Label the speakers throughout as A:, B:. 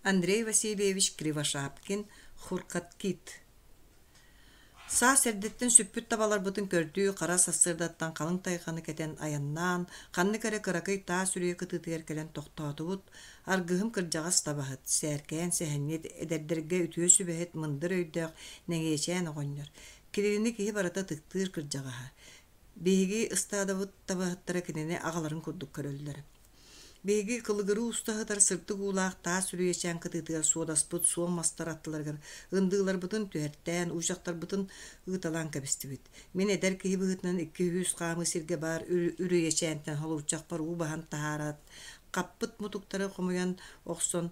A: Андрей Васильевич Кривошапкин Хуркаткит Саас эрдэттэн сүппүт табаларбытын көрдүү хара сарсыардаттан халыҥ тайҕаны кэтэн айаннаан, ханнык эрэ кыракый таас үрүйэ кытыытыгар кэлэн тохтоотубут. Аргыһым кырдьаҕас табаһыт, сээркээн сэһэнньит, эдэрдэргэ үтүө сүбэһит, мындыр өйдөөх Нэҥиэчээн оҕонньор. Кинини киһи барыта ытыктыыр кырдьаҕаһа. Биһиги ыстаадабыт табаһыттара кинини аҕаларын курдук көрөллөр. Биһиги кылыгырыы уста сытар сырдык уулаах таас үрүйэчээн кытыытыгар суодаспыт суон мастар аттыларыгар ындыыларбытын түһэртээн, уучахтарбытын ыыталаан кэбистибит. Мин эдэр киһи быһыытынан 200 хаамыы сиргэ баар үрүйэчээнтэн холуочахпар уу баһан таһаараат, хаппыт мутуктары хомуйан охсон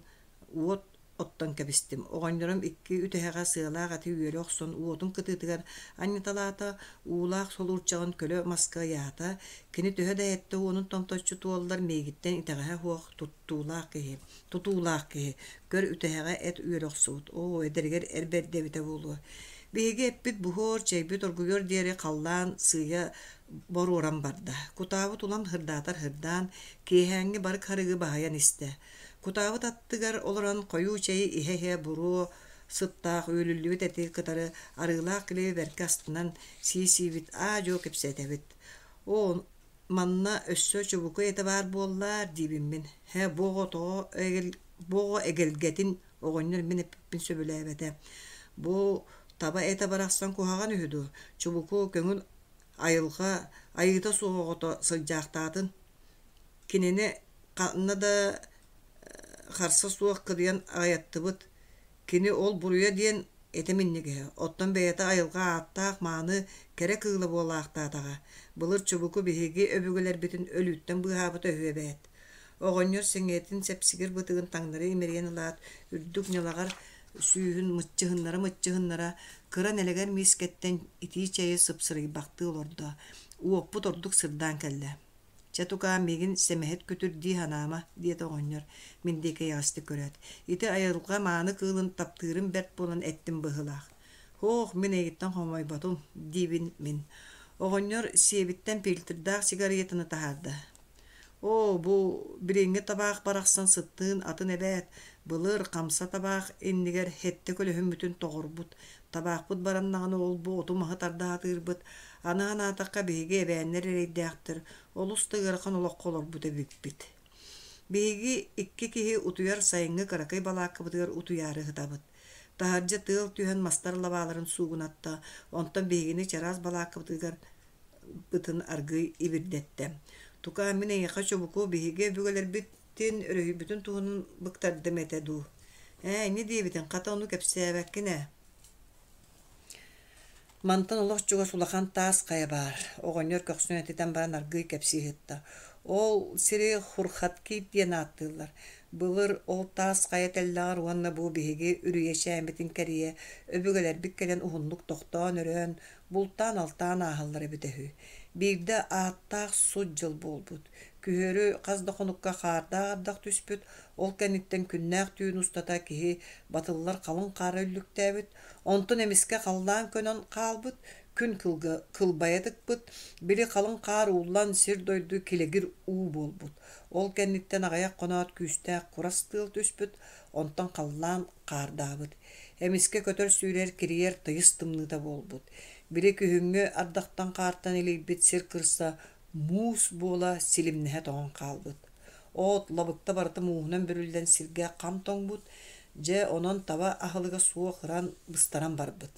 A: уот оттон кэбистим. Оҕонньорум икки үтэһэҕэ сыалаах эти үөрэ охсон уотун кытыытыгар анньыталаата, уулаах солуурчаҕын көлө маска ыйаата. Кини төһө да эттэ уонун томточчу туоллар миигиттэн итэҕэһэ суох туттуулаах киһи, тутуулаах киһи. Көр үтэһэҕэ эт үөрэ охсубут. Оо, эдэригэр эр бэрдэ эбитэ буолуо. Биһиги эппит буһуор, чэйбит оргуйуор диэри халлаан сыыйа боруоран барда. Кутаабыт улам һырдаатар һырдаан, киэһээҥҥи барык харыгы баһыйан истэ. Кутаабыт аттыгар олорон хойуу чэйи иһэ-иһэ буруо сыттаах үөлүллүбүт эти кытары арыылаах килиэби бэркэ астынан сии-сиибит аа-дьуо кэпсэтэбит. Оо, манна өссө чубуку этэ баар буоллаар диибин мин. Һэ, бу оҕо тоҕо бу оҕо эгэлгэтин оҕонньор мин эппиппин сөбүлээбэтэ. Бу таба этэ барахсан куһаҕан үһү дуо? Чубуку көҥүл айылҕа айыыта суох оҕото сылдьаахтаатын. Кинини ханна да харса суох кырыйан аҕыйаттыбыт. Кини ол буруйа диэн этэ минньигэһэ, оттон бэйэтэ айылҕа ааттаах мааны кэрэ кыыла буолаахтаатаҕа. Былыр чубуку биһиги өбүгэлэрбитин өлүүттэн быыһаабыта үһү эбээт. Оҕонньор сэҥийэтин сэпсигир бытыгын таҥнары имэрийэн ылаат, үрдүк ньалаҕар сүүһүн мыччыһыннара-мыччыһыннара кыра нэлэгэр миискэттэн итии чэйи сыпсырыйбахтыы олордо. Уоппут ордук сырдаан кэллэ. Чэ, тукаам, миигин сэмэһит күтүр дии санаама, диэтэ оҕонньор, мин диэки эйэҕэстик көрөөт. Ити айылҕа мааны кыылын таптыырым бэрт буолан эттим быһыылаах. Һоох, мин эйигиттэн хомойботум, диибин мин. Оҕонньор сиэбиттэн фильтрдаах сигаретаны таһаарда. Оо, бу билиҥҥи табаах барахсан сыттыын атын эбээт, былыр хамса табаах иннигэр сэттэ көлөһүммүтүн тоҕорбут, Табаахпыт бараннаҕына ол-бу оту-маһы тарда сатыырбыт, аны санаатахха биһиги эбээннэр эрэйдээхтэр, олус да ыарахан олоххо олорбут эбиппит. Биһиги икки киһи утуйар сайыҥҥы кыракый балааккабытыгар утуйаары сытабыт. Таһырдьа тыал түһэн мастар лабааларын суугунатта, онтон биһигини чараас балааккабытыгар бытын аргыый ибирдэттэ. Тукаа, мин эйиэхэ чубуку биһиги өбүгэлэрбитин өрүһүйбүтүн туһунан быктардым этэ дуу? Ээ, инньэ диэбитиҥ, хата ону кэпсээбэккин ээ. Мантан олох чугас улахан таас хайа баар, оҕонньор көхсүн этитэн баран аргыый кэпсии сытта. Ол сири Хурхаткит диэн ааттыыллар. Былыр ол таас хайа тэллэҕэр уонна бу биһиги үрүйэчээммитин кэрийэ өбүгэлэрбит кэлэн уһуннук тохтоон-өрөөн, бултаан-алтаан ааһаллар эбитэ үһү. Биирдэ ааттаах сут дьыл буолбут. Күһүөрү хас да хонукка хаардаах ардах түспүт, ол кэнниттэн күннээх түүн устата киһи батыллар халыҥ хаара үллүктээбит, онтон эмискэ халлаан көнөн хаалбыт, күн кылга кылбайа тыкпыт, били халыҥ хаар ууллан сир-дойду килэгир уу буолбут. Ол кэнниттэн аҕыйах хоноот күүстээх курас тыал түспүт, онтон халлаан хаардаабыт. Эмискэ көтөр-сүүрэр кирийэр тыйыс тымныыта буолбут. Били күһүҥҥү ардахтан-хаартан илийбит сир кырса муус буола силимнэһэ тоҥон хаалбыт. От, лабыкта барыта мууһунан бүрүллэн сиргэ хам тоҥмут, дьэ онон таба аһылыга суох ыран быстаран барбыт.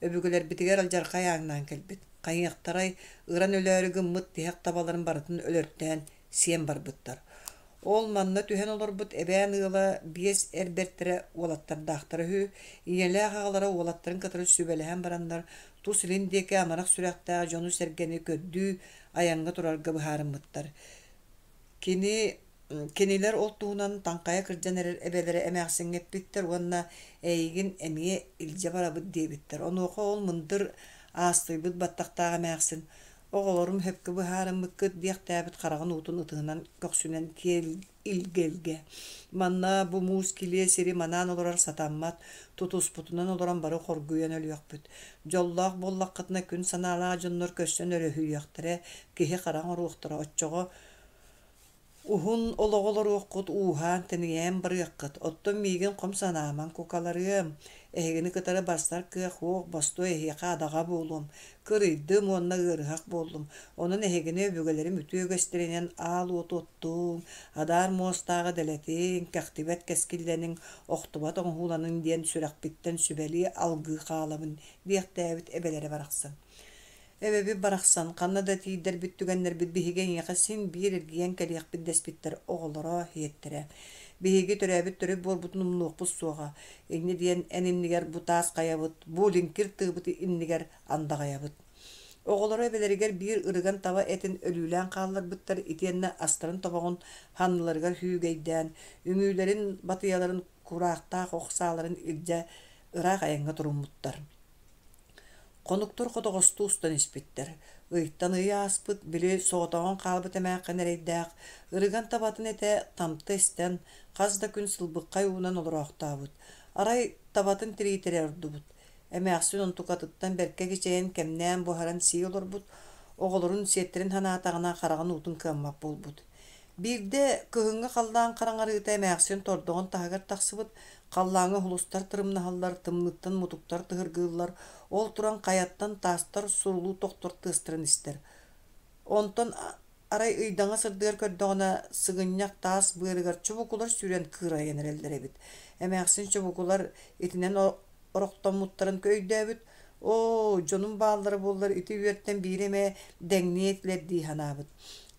A: Өбүгэлэрбитигэр алдьархай ааҥнаан кэлбит. Хайыахтарай, ыран өлөөрү гыммыт тиһэх табаларын барытын өлөртөөн сиэн барбыттар. Ол манна түһэн олорбут эбээн ыала биэс эр бэртэрэ уолаттардаахтара үһү. Ийэлээх аҕалара уолаттарын кытары сүбэлэһэн бараннар, тус илин диэки амарах сүрэхтээх дьону-сэргэни көрдүү айаҥҥа турарга быһаарыммыттар. Кини кинилэр ол туһунан таҥхайа кырдьан эрэр эбэлэрэ эмээхсиҥҥэ эппиттэр уонна эйигин эмиэ илдьэ барабыт диэбиттэр. Онуоха ол мындыр аастыйбыт баттахтаах эмээхсин Оҕолорум сөпкө быһаарыммыккыт диэхтээбит хараҕын уутун ытыһынан көхсүнэн киэр илгэ-илгэ. Манна бу муус килиэ сири манаан олорор сатаммат, тутуспутунан олорон бары хоргуйан өлүөхпүт. Дьоллоох буоллаххытына күн санаалаах дьоннор көрсөн өрөһүйүөхтэрэ, киһи хара оҥоруохтара, оччоҕо. Уһун олоҕу олоруоххут, ууһаан-тэнийэн барыаххыт, оттон миигин хом санаамаҥ, кукаларыам, эһигини кытары барсар кыах уох, бостуой эһиэхэ адаҕа буолуом, кырыйдым уонна ыарыһах буоллум, онон эһигини өбүгэлэрим үтүө үгэстэринэн аал уоту оттуҥ, адаар муостааҕы дэлэтиҥ, кэхтибэт кэскиллэниҥ, охтубат оҥоһууланыҥ диэн сүрэхпиттэн сүбэлии алгыы хаалабын диэхтээбит эбэлэрэ барахсан. Эбэбит барахсан, ханна да тиийдэрбит түгэннэрбит биһиги эйиэхэ син биир эргийэн кэлиэхпит дэспиттэр оҕолоро, иһиэттэрэ. Биһиги төрөөбүт төрүт буорбутун умнуохпут суоҕа. Инньэ диэн эн иннигэр бу таас хайабыт, бу лиҥкир тыыбыт иннигэр андаҕайабыт. Оҕолоро эбэлэригэр биир ырыган таба этин өлүүлээн хаалларбыттар итиэннэ астарын тобоҕун санныларыгар күүгэйдээн, үҥүүлэрин, батыйаларын кураахтаах ох сааларын илдьэ ыраах айаҥҥа туруммуттар. Хонуктар хотоҕостуу устан испиттэр. Ыйтан ый ааспыт, били соҕотоҕун хаалбыт эмээххин эрэйдээх, ырыган табатын этэ тамта истэн, хас да күн сылбыххай уунан олороохтообут. Арай табатын тириитэрэ ордубут. Эмээхсин онтукатыттан бэркэ кичэйэн кэмнээн буһаран сии олорбут, оҕолорун сиэттэрин санаатаҕына хараҕын уутун кыаммат буолбут. Биирдэ кыһыҥҥы халлаан хараҥарыыта эмээхсин тордоҕун таһыгар тахсыбыт, халлааҥҥа уһулустар тырымнаһаллар, тымныыттан мутуктар тыһыргыыллар, ол туран хайаттан таастар сурулуу тохтор тыастарын истэр. Онтон арай ыйдаҥа сырдыгар көрдөҕүнэ, сыгынньах таас быарыгар чубукулар сүүрэн кыырайан эрэллэр эбит. Эмээхсин чубукулар итинэн орохтоммуттарын өйдөөбүт, «Оо, дьонум бааллара буоллар ити үөртэн биири эмэ дэҥниэ этилэр» дии санаабыт.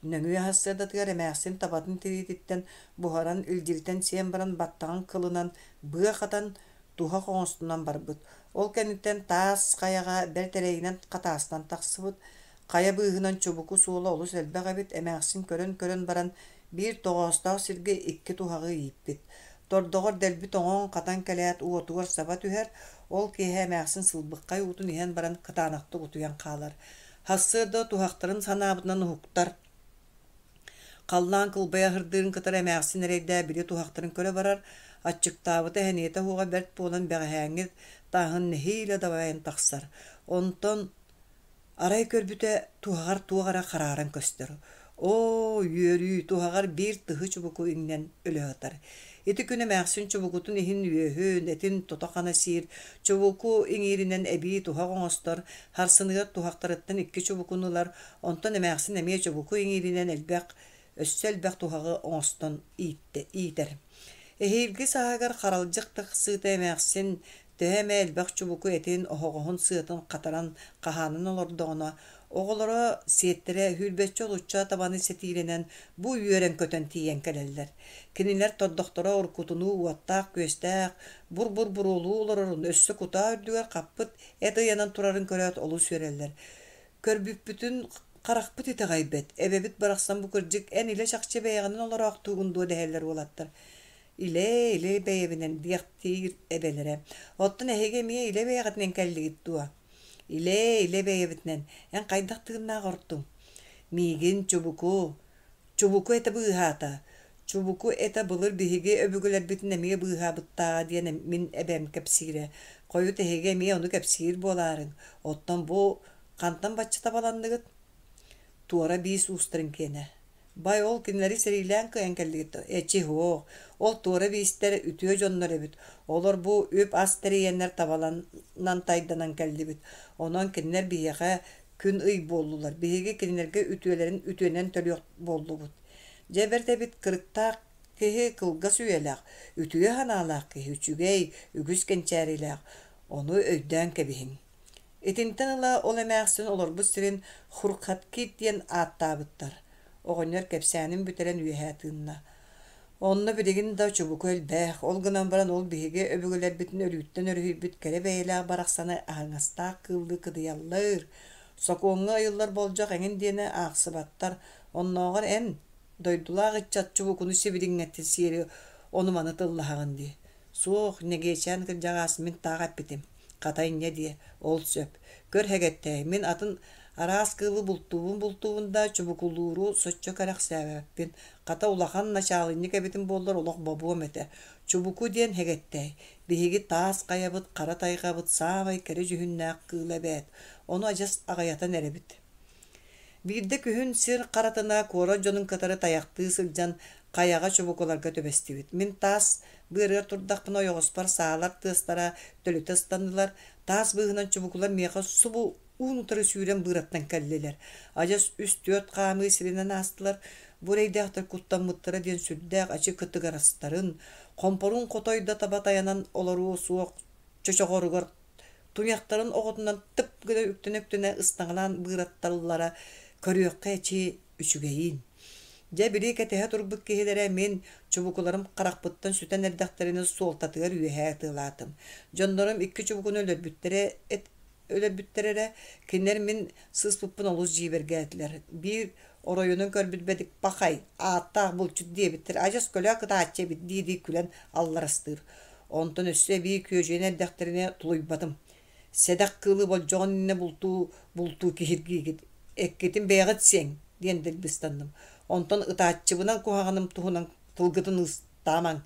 A: Нөҥүө сарсыардатыгар эмээхсин табатын тириититтэн буһаран илдьиритэн сиэн баран баттаҕын кылынан быа хатан, туһах оҥостунан барбыт. Ол кэнниттэн таас хайаҕа бэрт эрэйинэн хатаастан тахсыбыт. Хайа быыһынан чубуку суола олус элбэх эбит, эмээхсин көрөн-көрөн баран биир тоҕоостоох сиргэ икки туһаҕы ииппит. Тордоҕор дэлби тоҥон, хатан кэлээт уотугар саба түһэр, ол киэһэ эмээхсин сылбыххай уутун иһэн баран кытаанахтык утуйан хаалар. Сарсыарда туһахтарын санаабытынан уһуктар. Халлаан кылбайа аһырдыырын кытары эмээхсин эрэйдээ били туһахтарын көрө барар, аччыктаабыта сэниэтэ суоҕа бэрт буолан бэҕэһээҥҥи тааһын нэһиилэ дабайан тахсар. Онтон Арай көрбүтэ, туһаҕар туох эрэ харааран көстөр. Оо, үөрүү, туһаҕар биир тыһы чубуку иҥнэн өлө сытар. Ити күн эмээхсин чубукутун иһин үөһүн, этин тото-хана сиир, чубуку иҥииринэн эбии туһах оҥостор, харсыныгар туһахтарыттан икки чубукуну ылар, онтон эмээхсин эмиэ чубуку иҥииринэн элбэх, өссө элбэх туһаҕы оҥостон ииттэ, иитэр. Эһиилги сааһыгар харалдьык тахсыыта эмээхсин Төһө эмэ элбэх чубуку этин, оһоҕоһун сыатын хатаран хаһаанан олордоҕуна, оҕолоро, сиэттэрэ сүүрбэччэ олучча табаны сэтиилэнэн бу үөрэн-көтөн тиийэн кэлэллэр. Кинилэр тордохторо уруккутунуу уоттаах-күөстээх, бур-бур буруолуу олорорун, өссө кутаа үрдүгэр хаппыт эт ыйанан турарын көрөөт олус үөрэллэр. Көрбүппүтүн харахпыт итэҕэйбэт, эбэбит барахсан бу кырдьык эн илэ-чахчы бэйэҕинэн олороохтуугун дуо дэһэллэр уолаттар. Илэ-илэ бэйэбинэн диэхтиир эбэлэрэ. Оттон эһиги эмиэ илэ бэйэҕитинэн кэллигит дуо? Илэ-илэ бэйэбитинэн. Эн хайдах тыыннаах ортуҥ? Миигин чубуку, чубуку этэ быыһаата. Чубуку этэ былыр биһиги өбүгэлэрбитин эмиэ быыһаабыттааҕа диэн мин эбэм кэпсиирэ. Хойут эһиги эмиэ ону кэпсиир буолаарыҥ. Оттон бу хантан бачча табаланныгыт? Туора биис уустарын киэнэ. Бай ол кинилэри сэриилээн кыайан кэллигит дуо? Эчи һуох, ол туора биистэр үтүө дьоннор эбит. Олор бу үп-ас тэрийэннэр табаланан тайданан кэллибит. Онон кинилэр биһиэхэ күн-ый буоллулар. Биһиги кинилэргэ үтүөлэрин үтүөнэн төлүөх буоллубут. Дьэ бэрт эбит кырыктаах киһи кылгас үйэлээх, үтүө санаалаах киһи үчүгэй, үгүс кэнчээрилээх. Ону өйдөөн кэбиһиҥ. Итинтэн ыла ол эмээхсин олорбут сирин Хурхаткит диэн ааттаабыттар. Оҕонньор кэпсээнин бүтэрэн үөһэ тыынна. Онно билигин да чубуку элбэх, ол гынан баран ол биһиги өбүгэлэрбитин өлүүттэн өрүһүйбүт кэрэ бэйэлээх барахсаны аһыҥастаах кыыллыы кыдыйаллар. Сокуоҥҥа ыйыллар болдьох эҥин диэни аахсыбаттар. Оннооҕор эн, дойдулаах ыччат чубукуну сибилиҥҥэттэн сиэри ону-маны тыллаһаҕын дии. Суох, Нэгиэчээн кырдьаҕас мин таах эппитим. Хата инньэ диэ, ол сөп. Көр һэгэттэй, мин атын араас кыылы бултуубун-бултуубун да, чубукулууру соччо кэрэхсээбэппин. Хата улахан начаалынньык эбитим буоллар олох бобуом этэ. Чубуку диэн һэгэттэй, биһиги таас хайабыт, хара тайҕабыт саамай кэрэ дьүһүннээх кыыла эбээт. Ону адьас аҕыйатан эрэбит. Биирдэ күһүн сир харатына куорат дьонун кытары тайахтыы сылдьан хайаҕа чубукуларга түбэстибит. Мин таас быарыгар турдахпына ойоҕоспор саалар тыастара төлүтэ ыстаннылар, таас быыһынан чубукулар миэхэ субу уун-утары сүүрэн быыраттан кэллилэр. Адьас үс-түөрт хаамыы сиринэн аастылар. Бу эрэйдээхтэр куттаммыттара диэн сүрдээх ачы кытыгырастарын, хомпорун хотой да таба тайанан олоруо суох чочоҕоругар туйахтарын оҕотунан тып гына үктэнэ-үктэнэ ыстаҥалаан быыратталлара көрүөххэ эчи үчүгэйин. Дьэ били кэтэһэ турбут киһилэрэ мин чубукуларым харахпыттан сүтэн эрдэхтэринэ суолтатыгар үөһэ ытыалаатым. Дьоннорум икки чубукуну өлөрбүттэрэ өлөрбүттэр эрэ, кинилэр мин сыыспыппын олус дьиибэргээтилэр. Биир оройунан көрбүт бэдик пахай, ааттаах булчут диэбиттэр, адьас көлөө кытааччы эбит дии-дии күлэн алларастыыр. Онтон өссө эбии күөдьүйэн эрдэхтэринэ тулуйбатым. Сэдэх кыылы болдьоҕун иннинэ бултуу бултуу киһиргиигит, эккитин бэйэҕит сиэҥ диэн дэлби ыстанным. Онтон ытааччыбынан куһаҕаным туһунан тылгытын ыстаамаҥ.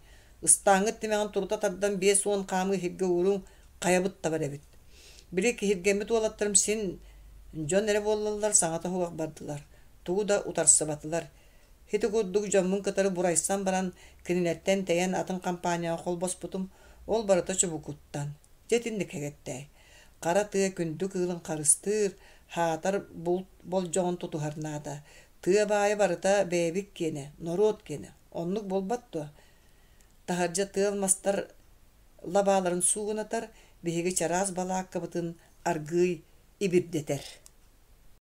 A: Ыстааҥҥыт тимэҕин турута тардан 50 хаамыы иһиргэ ууруҥ, хайабыт табар эбит. Били киһиргэммит уолаттарым син дьон эрэ буоллаллар саҥата суох бардылар, тугу да утарсыбатылар. Ити курдук дьоммун кытары бурайсан баран, кинилэртэн тэйэн атын компанияҕа холбоспутум, ол барыта чубукуттан. Дьэ итинник кэгэттээй. Хара тыа күндү кыылын харыстыыр, хаатар булт болдьоҕун тутуһар наада. Тыа баайа барыта бэйэбит киэнэ, норуот киэнэ. Оннук буолбат дуо? Таһырдьа тыал мастар лабааларын суугунатар, биһиги чараас балааккабытын аргыый ибирдэтэр.